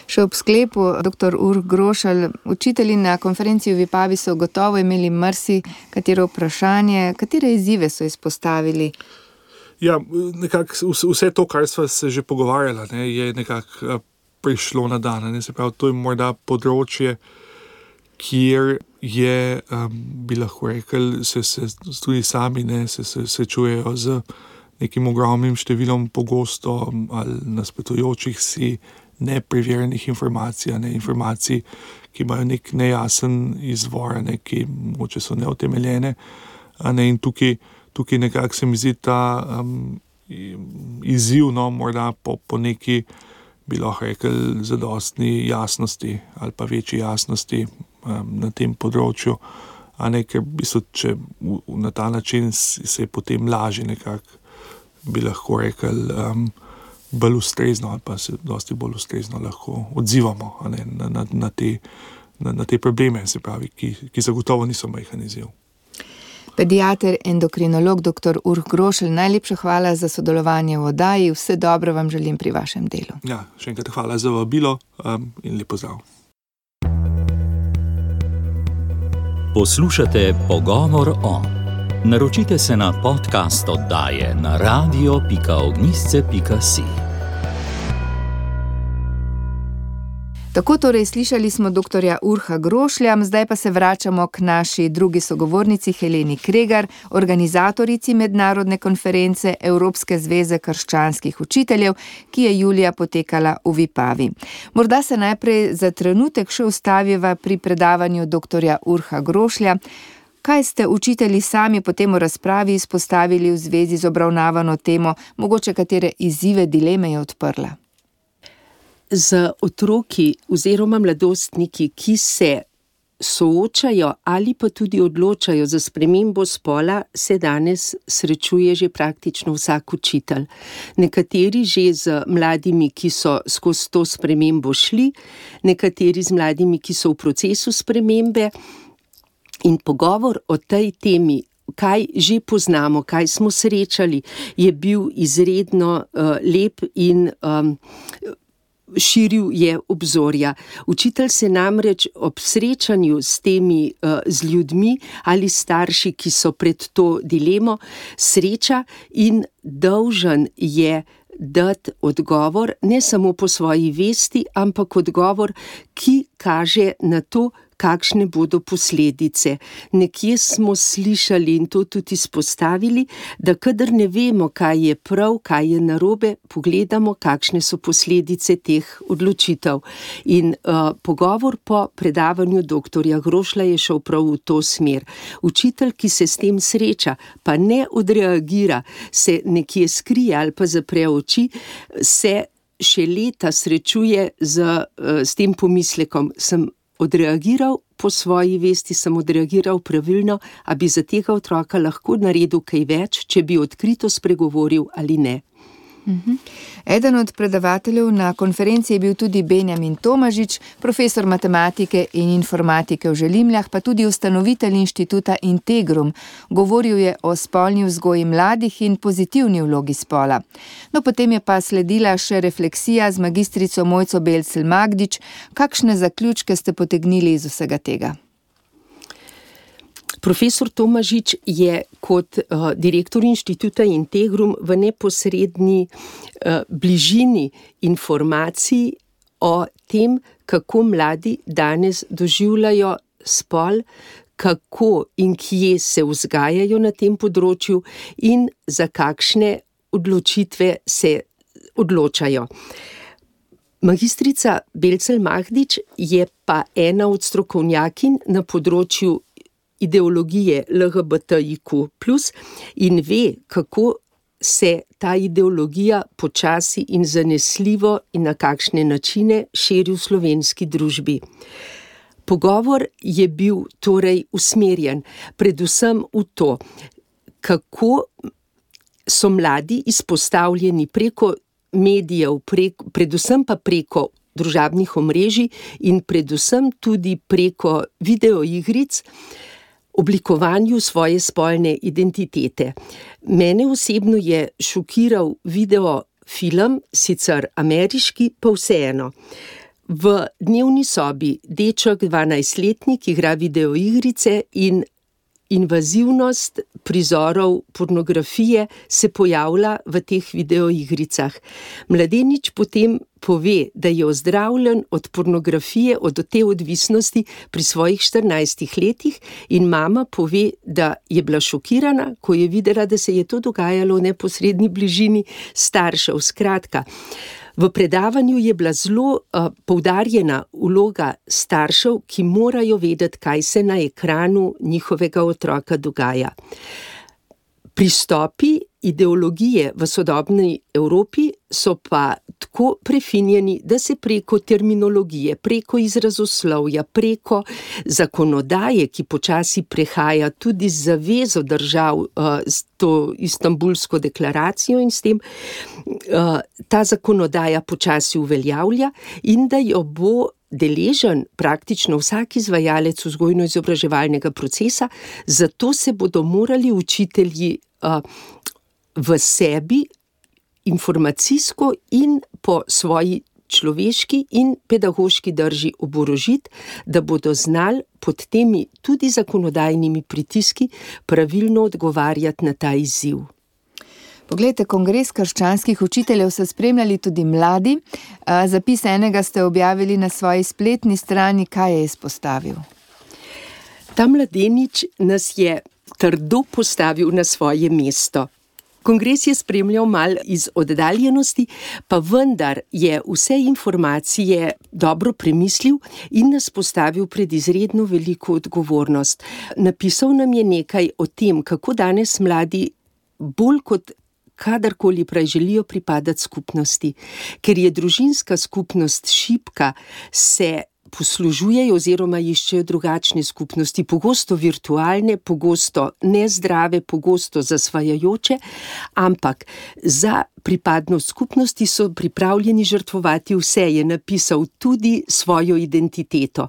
Še ob sklepu, doktor Urh Grošelj, učitelji na konferenci v Vipavi so gotovo imeli marsi katero vprašanje, katere izzive so izpostavili? Ja, nekako vse to, kar sva se že pogovarjala, ne, je nekako prišlo na dan, ne, se pravi, to je morda področje, kjer je, um, bi lahko rekel, se, se tudi sami, ne, se, se, se čujejo z nekim ogromnim številom pogosto ali nasprotujočih si nepreverjenih informacij, ne, informacij, ki imajo nek nejasen izvor, ne, ki mogoče so neutemeljene, a ne, in tukaj, tukaj nekako se mi zdi ta um, izziv, no, morda po, po neki, bi lahko rekel, zadostni jasnosti ali pa večji jasnosti um, na tem področju, a ne, ker v bistvu, če v, na ta način se je potem lažje nekako, bi lahko rekel, um, bolj ustrezno ali pa se dosti bolj ustrezno lahko odzivamo, a ne, na, na, na, te, na, na te probleme, se pravi, ki, ki zagotovo niso majhen izziv. Pediater, endokrinolog doktor Urh Grošelj, najlepša hvala za sodelovanje v oddaji, vse dobro vam želim pri vašem delu. Ja, še enkrat hvala za vabilo um, in lep pozdrav. Poslušate Pogovor o. Naročite se na podcast oddaje na radio pika ognjišče pika si. Tako torej slišali smo doktorja Urha Grošlja, zdaj pa se vračamo k naši drugi sogovornici Heleni Kregar, organizatorici mednarodne konference Evropske zveze krščanskih učiteljev, ki je julija potekala v Vipavi. Morda se najprej za trenutek še ustaviva pri predavanju doktorja Urha Grošlja. Kaj ste učitelji sami potem v razpravi izpostavili v zvezi z obravnavano temo, mogoče katere izzive, dileme je odprla? Z otroki oziroma mladostniki, ki se soočajo ali pa tudi odločajo za spremembo spola, se danes srečuje že praktično vsak učitelj. Nekateri že z mladimi, ki so skozi to spremembo šli, nekateri z mladimi, ki so v procesu spremembe. In pogovor o tej temi, kaj že poznamo, kaj smo srečali, je bil izredno uh, lep in um, širil je obzorja. Učitelj se namreč ob srečanju s temi uh, z ljudmi ali starši, ki so pred to dilemo, sreča in dolžan je dati odgovor, ne samo po svoji vesti, ampak odgovor, ki kaže na to, kakšne bodo posledice. Nekje smo slišali in to tudi izpostavili, da kadar ne vemo, kaj je prav, kaj je narobe, pogledamo, kakšne so posledice teh odločitev. In uh, pogovor po predavanju doktorja Grošlja je šel prav v to smer. Učitelj, ki se s tem sreča, pa ne odreagira, se nekje skrije ali pa zapre oči, se še leta srečuje z, uh, s tem pomislekom, sem odreagiral po svoji vesti, sem odreagiral pravilno, a bi za tega otroka lahko naredil kaj več, če bi odkrito spregovoril ali ne. Mhm. Eden od predavateljev na konferenci je bil tudi Benjamin Tomažič, profesor matematike in informatike v Želimljah, pa tudi ustanovitelj inštituta Integrum. Govoril je o spolni vzgoji mladih in pozitivni vlogi spola. No, potem je pa sledila še refleksija z magistrico Mojco Belcel Magdič. Kakšne zaključke ste potegnili iz vsega tega? Profesor Tomažič je kot uh, direktor inštituta Integrum v neposredni uh, bližini informacij o tem, kako mladi danes doživljajo spol, kako in kje se vzgajajo na tem področju in za kakšne odločitve se odločajo. Magistrica Belcel Magdič je pa ena od strokovnjakinj na področju ideologije L G B T I Q plus, in ve, kako se ta ideologija počasi in zanesljivo in na kakšne načine širi v slovenski družbi. Pogovor je bil torej usmerjen predvsem v to, kako so mladi izpostavljeni preko medijev, preko, predvsem pa preko družabnih omrežij in predvsem tudi preko videoigric, oblikovanju svoje spolne identitete. Mene osebno je šokiral videofilm, sicer ameriški, pa vseeno. V dnevni sobi deček dvanajstletnik igra videoigrice in invazivnost prizorov pornografije se pojavlja v teh videoigricah. Mladenič potem pove, da je ozdravljen od pornografije, od te odvisnosti pri svojih štirinajstih letih, in mama pove, da je bila šokirana, ko je videla, da se je to dogajalo v neposredni bližini staršev. Skratka, v predavanju je bila zelo uh, poudarjena vloga staršev, ki morajo vedeti, kaj se na ekranu njihovega otroka dogaja. Pristopi ideologije v sodobni Evropi so pa tako prefinjeni, da se preko terminologije, preko izrazoslovja, preko zakonodaje, ki počasi prehaja tudi z zavezo držav, uh, s to Istanbulsko deklaracijo in s tem, uh, ta zakonodaja počasi uveljavlja in da jo bo deležen praktično vsak izvajalec vzgojno-izobraževalnega procesa, zato se bodo morali učitelji uh, v sebi informacijsko in po svoji človeški in pedagoški drži oborožiti, da bodo znali pod temi tudi zakonodajnimi pritiski pravilno odgovarjati na ta izziv. Poglejte, Kongres krščanskih učiteljev so spremljali tudi mladi. Zapis enega ste objavili na svoji spletni strani. Kaj je izpostavil? Ta mladenič nas je trdo postavil na svoje mesto. Kongres je spremljal mal iz oddaljenosti, pa vendar je vse informacije dobro premislil in nas postavil pred izredno veliko odgovornost. Napisal nam je nekaj o tem, kako danes mladi bolj kot kadarkoli prej želijo pripadati skupnosti. Ker je družinska skupnost šibka, se poslužujejo oziroma iščejo drugačne skupnosti, pogosto virtualne, pogosto nezdrave, pogosto zasvajajoče, ampak za pripadnost skupnosti so pripravljeni žrtvovati vse, je napisal tudi svojo identiteto.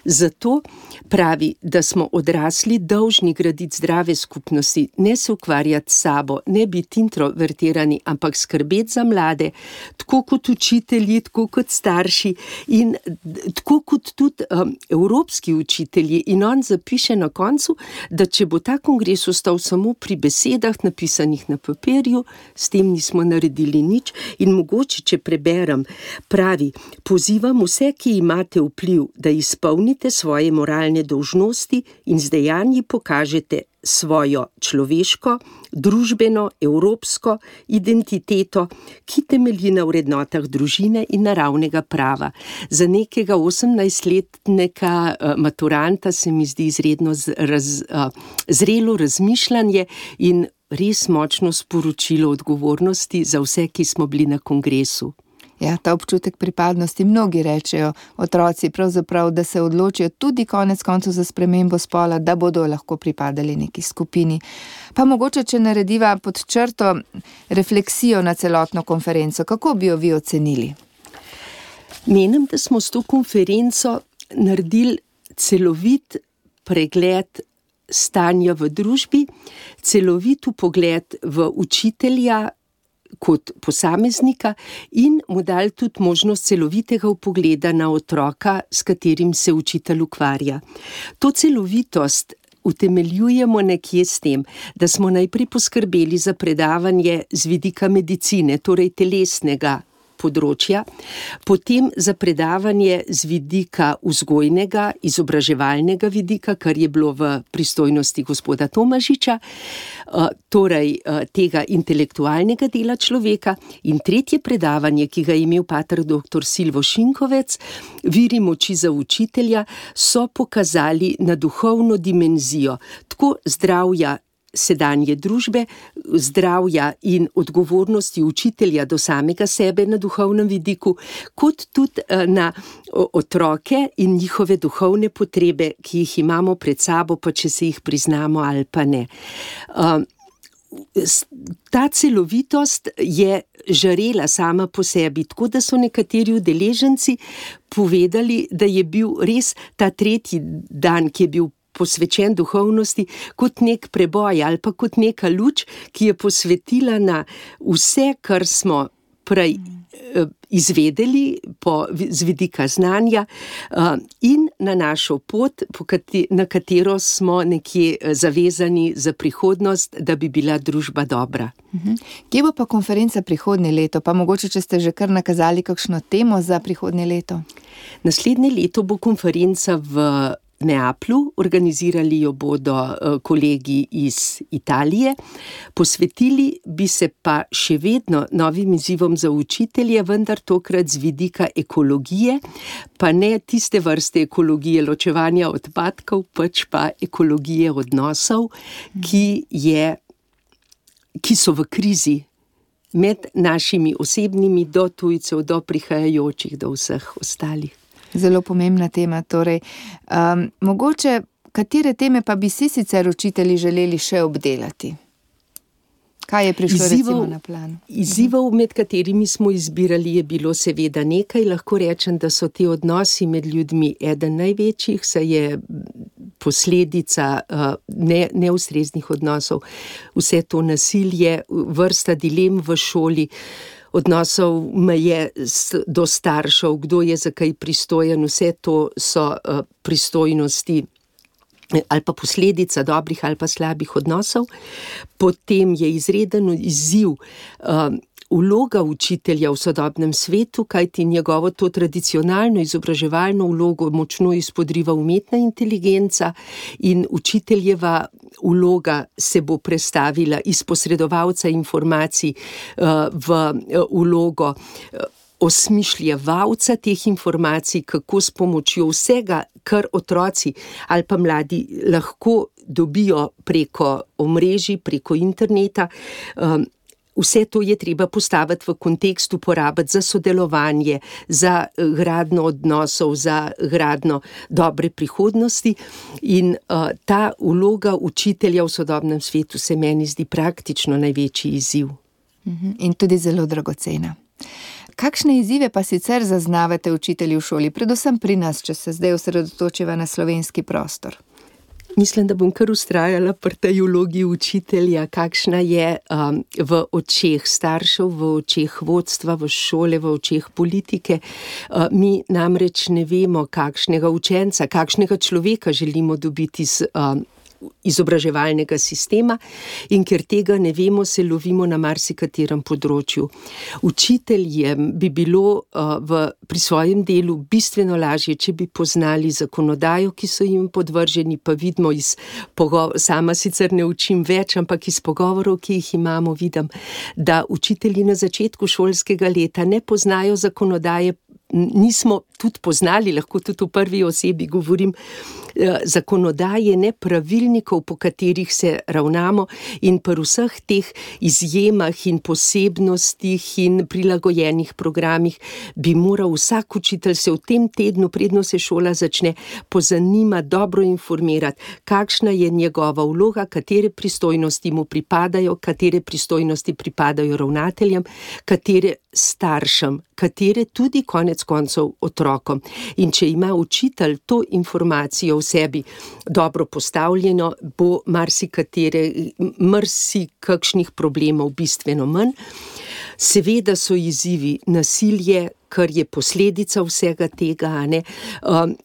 Zato pravi, da smo odrasli dolžni graditi zdrave skupnosti, ne se ukvarjati s sabo, ne biti introvertirani, ampak skrbeti za mlade, tako kot učitelji, tako kot starši in tako tako kot tudi um, evropski učitelji. In on zapiše na koncu, da če bo ta kongres ostal samo pri besedah, napisanih na papirju, s tem nismo naredili nič. In mogoče, če preberem, pravi: pozivam vse, ki imate vpliv, da izpolnite svoje moralne dolžnosti in z dejanji pokažete svojo človeško, družbeno, evropsko identiteto, ki temelji na vrednotah družine in naravnega prava. Za nekega osemnajstletnega uh, maturanta se mi zdi izredno z, raz, uh, zrelo razmišljanje in res močno sporočilo odgovornosti za vse, ki smo bili na kongresu. Ja, ta občutek pripadnosti, mnogi rečejo, otroci pravzaprav, da se odločijo tudi konec koncev za spremembo spola, da bodo lahko pripadali neki skupini. Pa mogoče, če narediva pod črto refleksijo na celotno konferenco, kako bi jo vi ocenili? Menim, da smo s to konferenco naredili celovit pregled stanja v družbi, celovit pogled v učitelja kot posameznika in mu dali tudi možnost celovitega vpogleda na otroka, s katerim se učitelj ukvarja. To celovitost utemeljujemo nekje s tem, da smo najprej poskrbeli za predavanje z vidika medicine, torej telesnega področja, potem za predavanje z vidika vzgojnega, izobraževalnega vidika, kar je bilo v pristojnosti gospoda Tomažiča, torej tega intelektualnega dela človeka, in tretje predavanje, ki ga je imel pater doktor Silvo Šinkovec, Viri moči za učitelja, so pokazali na duhovno dimenzijo, tako zdravja sedanje družbe, zdravja in odgovornosti učitelja do samega sebe na duhovnem vidiku, kot tudi na otroke in njihove duhovne potrebe, ki jih imamo pred sabo, pa če se jih priznamo ali pa ne. Ta celovitost je žarela sama po sebi, tako da so nekateri udeleženci povedali, da je bil res ta tretji dan, ki je bil posvečen duhovnosti, kot nek preboj ali pa kot neka luč, ki je posvetila na vse, kar smo prej izvedeli po, z vidika znanja in na našo pot, na katero smo nekje zavezani za prihodnost, da bi bila družba dobra. Mhm. Kje bo pa konferenca prihodnje leto? Pa mogoče, če ste že kar nakazali kakšno temo za prihodnje leto? Naslednje leto bo konferenca v Neaplju, organizirali jo bodo kolegi iz Italije, posvetili bi se pa še vedno novim izzivom za učitelje, vendar tokrat z vidika ekologije, pa ne tiste vrste ekologije ločevanja odpadkov, pač pa ekologije odnosov, ki, je, ki so v krizi med našimi osebnimi, do tujcev, do prihajajočih, do vseh ostalih. Zelo pomembna tema, torej. Um, mogoče, katere teme pa bi si sicer učitelji želeli še obdelati? Kaj je prišlo Izzivov, recimo na plan? Izzivov, med katerimi smo izbirali, je bilo seveda nekaj. Lahko rečem, da so ti odnosi med ljudmi eden največjih, saj je posledica uh, ne, neustreznih odnosov. Vse to nasilje, vrsta dilem v šoli, odnosov meje do staršev, kdo je za kaj pristojen, vse to so uh, pristojnosti ali pa posledica dobrih ali pa slabih odnosov. Potem je izreden izziv uh, vloga učitelja v sodobnem svetu, kajti njegovo to tradicionalno izobraževalno vlogo močno izpodriva umetna inteligenca in učiteljeva vloga se bo prestavila iz posredovalca informacij uh, v vlogo uh, osmišljevalca teh informacij, kako s pomočjo vsega, kar otroci ali pa mladi lahko dobijo preko omrežij, preko interneta, um, vse to je treba postaviti v kontekst, uporabiti za sodelovanje, za gradnjo odnosov, za gradnjo dobre prihodnosti. In uh, ta vloga učitelja v sodobnem svetu se meni zdi praktično največji izziv. In tudi zelo dragocena. Kakšne izzive pa sicer zaznavate učitelji v šoli, predvsem pri nas, če se zdaj osredotočiva na slovenski prostor? Mislim, da bom kar vztrajala pri tej vlogi učitelja, kakšna je um, v očeh staršev, v očeh vodstva, v šole, v očeh politike. Uh, mi namreč ne vemo, kakšnega učenca, kakšnega človeka želimo dobiti z um, izobraževalnega sistema, in ker tega ne vemo, se lovimo na marsikaterem področju. Učiteljem bi bilo uh, v, pri svojem delu bistveno lažje, če bi poznali zakonodajo, ki so jim podvrženi, pa vidimo iz pogovorov, sama sicer ne učim več, ampak iz pogovorov, ki jih imamo, vidim, da učitelji na začetku šolskega leta ne poznajo zakonodaje, nismo tudi poznali, lahko tudi v prvi osebi govorim, zakonodaje, ne pravilnikov, po katerih se ravnamo, in pri vseh teh izjemah in posebnostih in prilagojenih programih bi moral vsak učitelj se v tem tednu, predno se šola začne, pozanimati, dobro informirati, kakšna je njegova vloga, katere pristojnosti mu pripadajo, katere pristojnosti pripadajo ravnateljem, katere staršem, katere tudi konec koncev otrokom. In če ima učitelj to informacijo v sebi dobro postavljeno, bo marsikatere, marsikakšnih problemov bistveno manj. Seveda so izzivi nasilje, kar je posledica vsega tega, ne,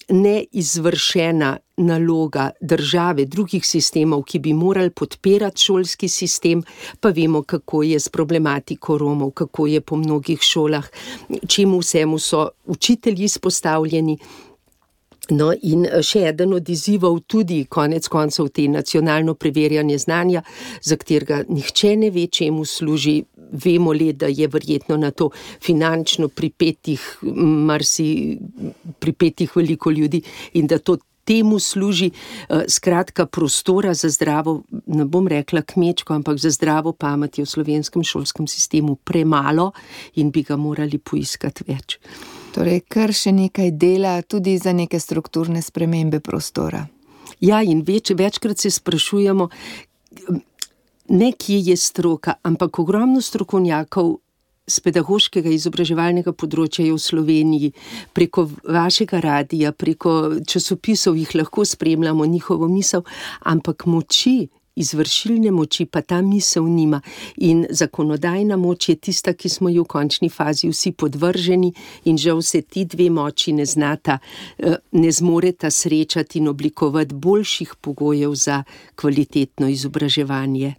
neizvršena naloga države, drugih sistemov, ki bi morali podpirati šolski sistem, pa vemo, kako je s problematiko Romov, kako je po mnogih šolah, čemu vsemu so učitelji izpostavljeni. No, in še eden od izzivov tudi konec koncev te nacionalno preverjanje znanja, za katerega nihče ne ve, čemu služi. Vemo le, da je verjetno na to finančno pripetih, marsi pripetih veliko ljudi in da to temu služi. Skratka, prostora za zdravo, ne bom rekla kmečko, ampak za zdravo pamet je v slovenskem šolskem sistemu premalo in bi ga morali poiskati več. Torej, kar še nekaj dela tudi za neke strukturne spremembe prostora. Ja, in več, večkrat se sprašujemo, ne kje je stroka, ampak ogromno strokovnjakov z pedagoškega izobraževalnega področja je v Sloveniji. Preko vašega radija, preko časopisov jih lahko spremljamo njihovo misel, ampak moči, izvršilne moči pa ta misel nima. In zakonodajna moč je tista, ki smo jo v končni fazi vsi podvrženi, in žal se ti dve moči ne znata, ne zmoreta srečati in oblikovati boljših pogojev za kvalitetno izobraževanje.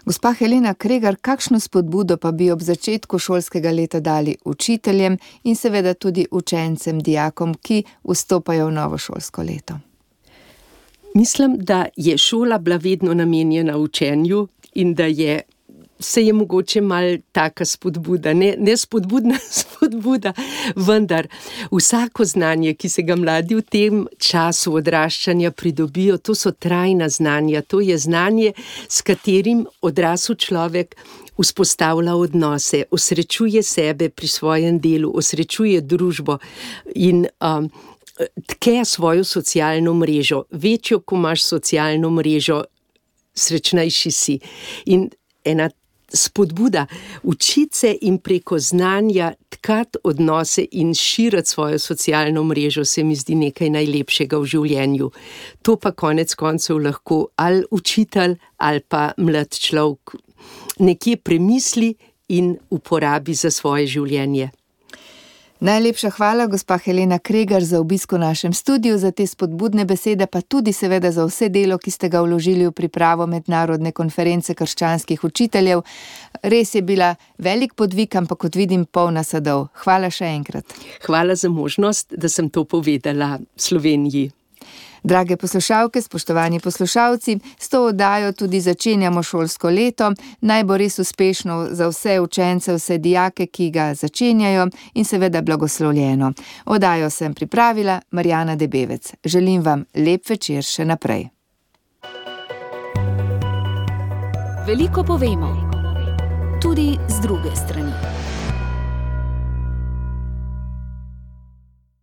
Gospa Helena Kregar, kakšno spodbudo pa bi ob začetku šolskega leta dali učiteljem in seveda tudi učencem, dijakom, ki vstopajo v novo šolsko leto? Mislim, da je šola bila vedno namenjena učenju in da je, se je mogoče mal taka spodbuda, ne, ne spodbudna spodbuda, vendar vsako znanje, ki se ga mladi v tem času odraščanja pridobijo, to so trajna znanja, to je znanje, s katerim odrasel človek vzpostavlja odnose, osrečuje sebe pri svojem delu, osrečuje družbo in um, tke svojo socialno mrežo. Večjo, ko imaš socialno mrežo, srečnejši si. In ena spodbuda, učiti se in preko znanja tkati odnose in širiti svojo socialno mrežo, se mi zdi nekaj najlepšega v življenju. To pa konec koncev lahko ali učitelj ali pa mlad človek nekje premisli in uporabi za svoje življenje. Najlepša hvala, gospa Helena Kregar, za obisk v našem studiu, za te spodbudne besede, pa tudi seveda za vse delo, ki ste ga vložili v pripravo mednarodne konference krščanskih učiteljev. Res je bila velik podvig, ampak kot vidim, polna sadov. Hvala še enkrat. Hvala za možnost, da sem to povedala Sloveniji. Drage poslušalke, spoštovani poslušalci, s to oddajo tudi začenjamo šolsko leto. Naj bo res uspešno za vse učence, vse dijake, ki ga začenjajo, in seveda blagoslovljeno. Oddajo sem pripravila Marjana Debevec. Želim vam lep večer še naprej. Veliko povemo, tudi z druge strani.